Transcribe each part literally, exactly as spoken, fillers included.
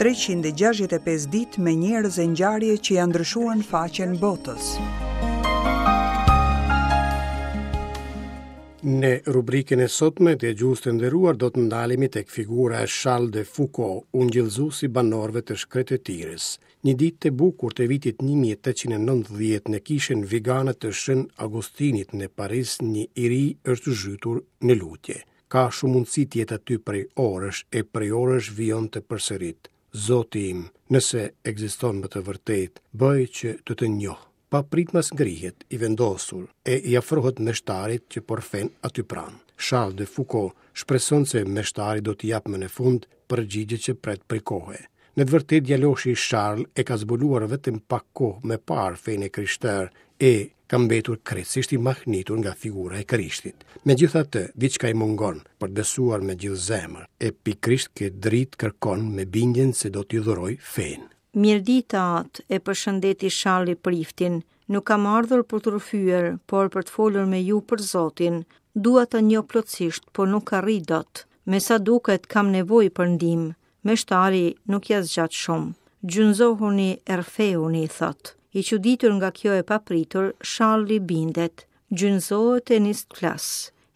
treqind e gjashtëdhjetë e pesë ditë me njerëz e ngjarje që janë ndryshuar në faqen botës. Në rubrikën e sotme të gjuhës të nderuar do të ndalemi tek figura e Charles de Foucauld, ungjillëzuesi i banorëve të shkretëtirës. Një ditë të bukur të vitit një mijë e tetëqind e nëntëdhjetë në kishën vigane të Shën Augustinit në Paris, një i ri është zhytur në lutje. Ka shumë mundësi të jetë aty prej orësh e prej orësh vijon të përsërit. Zoti im, nëse ekziston me të vërtetë, bëj që të të njoh. Papritmas ngrihet, i vendosur, e i afrohet meshtarit që po rrëfen aty pranë. Charles de Foucauld shpreson se meshtari do t'i japë më në fund përgjigje që pret prej kohe. Në të vërtetë djaloshi Charles e ka zbuluar vetëm pak kohë më parë fenë e krishterë e ka mbetur krejtësisht i mahnitur nga figura e Krishtit. Megjithatë, diçka i mungon për të besuar me gjithë zemër, e pikërisht këtë dritë kërkon me bindjen se do t'i dhuroj fenë. Mirëdita, atë, e përshëndeti Charlie priftin. Nuk kam ardhur për të rrëfyer, por për të folur me ju për Zotin. Dua të njoh plotësisht, por nuk arrij dot. Me sa duket kam nevojë për ndihmë. Meshtari nuk ja zgjat shumë. Gjunzohuni, rrëfehuni, thot. I çuditur nga kjo e papritur, Charlie bindet. Gjunzohet e nis të flas.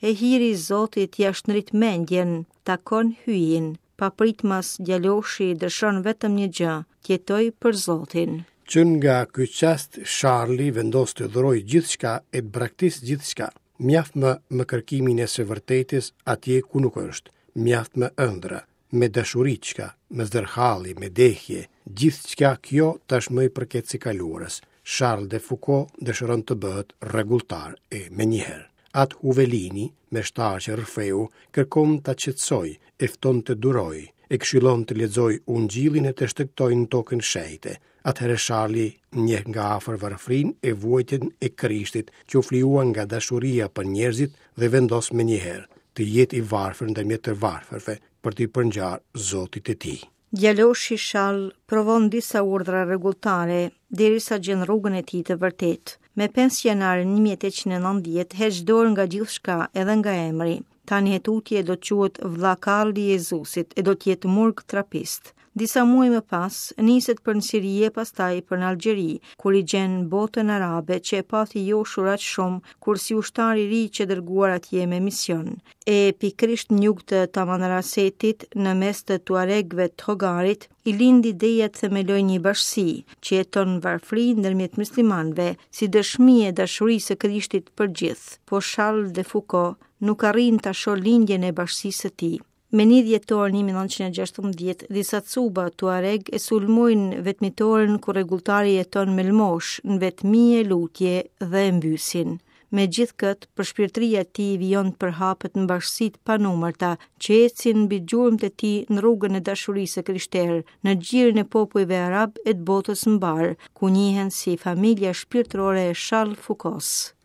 E hiri i Zotit ja shndrit mendjen, takon hyjin. Papritmas djaloshi dëshon vetëm një gjë, t'jetoj për Zotin. Që nga ky çast Charlie vendos të dhuroj gjithçka e të braktis gjithçka. Mjaft më me kërkimin e së vërtetës atje ku nuk është, mjaft më ëndra, me dashuriçka, me zdërhalli, me dehje, gjithçka kjo tashmë i përket së kaluarës. Charles de Foucauld dëshiron të bëhet rregulltar e menjëherë. Atë Huvelini, meshtar që rrëfeu, kërkon ta qetësoj, e fton të duroj, e këshillon të lexoj ungjillin e të shtegtoj në tokën shenjte. Atëherë Charlie njeh nga afër varfrinë e vuajtjen e Krishtit që u flijua nga dashuria për njerëzit dhe vendos menjëherë të jetë i varfër ndërmjet të varfërve për t'i përngjarë Zotit të tij. Djaloshi Charles provon disa urdhra rregulltare derisa gjen rrugën e tij të vërtetë. Me pesë janar një mijë e tetëqind e nëntëdhjetë heq dorë nga gjithçka edhe nga emri. Tani e tutje do të quhet vëlla Karli i Jezusit e do të jetë murg trapist. Disa muaj më pas, niset për në Siri e pastaj për në Algjeri, kur i gjen botën arabe që e pati joshur aq shumë kur si ushtar i ri që dërguar atje me mision. E pikërisht në jug të Tamanrasetit, në mes të Tuaregëve të Hogarit, i lind ideja të themelojë një bashkësi që jeton në varfëri ndërmjet muslimanëve, si dëshmi e dashurisë së Krishtit për gjithë. Po Charles de Foucauld nuk arrin ta shohë lindjen e bashkësisë së tij. Me një dhjetor një mijë e nëntëqind e gjashtëmbëdhjetë, disa cuba Tuareg e sulmojnë vetmitoren ku rregulltari jeton me lmosh në vetmi e lutje dhe e mbysin. Me gjithë këtë, përshpirtëria e tij vijon të përhapet në bashkësitë panumërta që ecin mbi gjurmët e tij në rrugën e dashurisë së krishterë, në gjirin e popujve arab e të botës mbar, ku njihen si familja shpirtërore e Charles Foucault.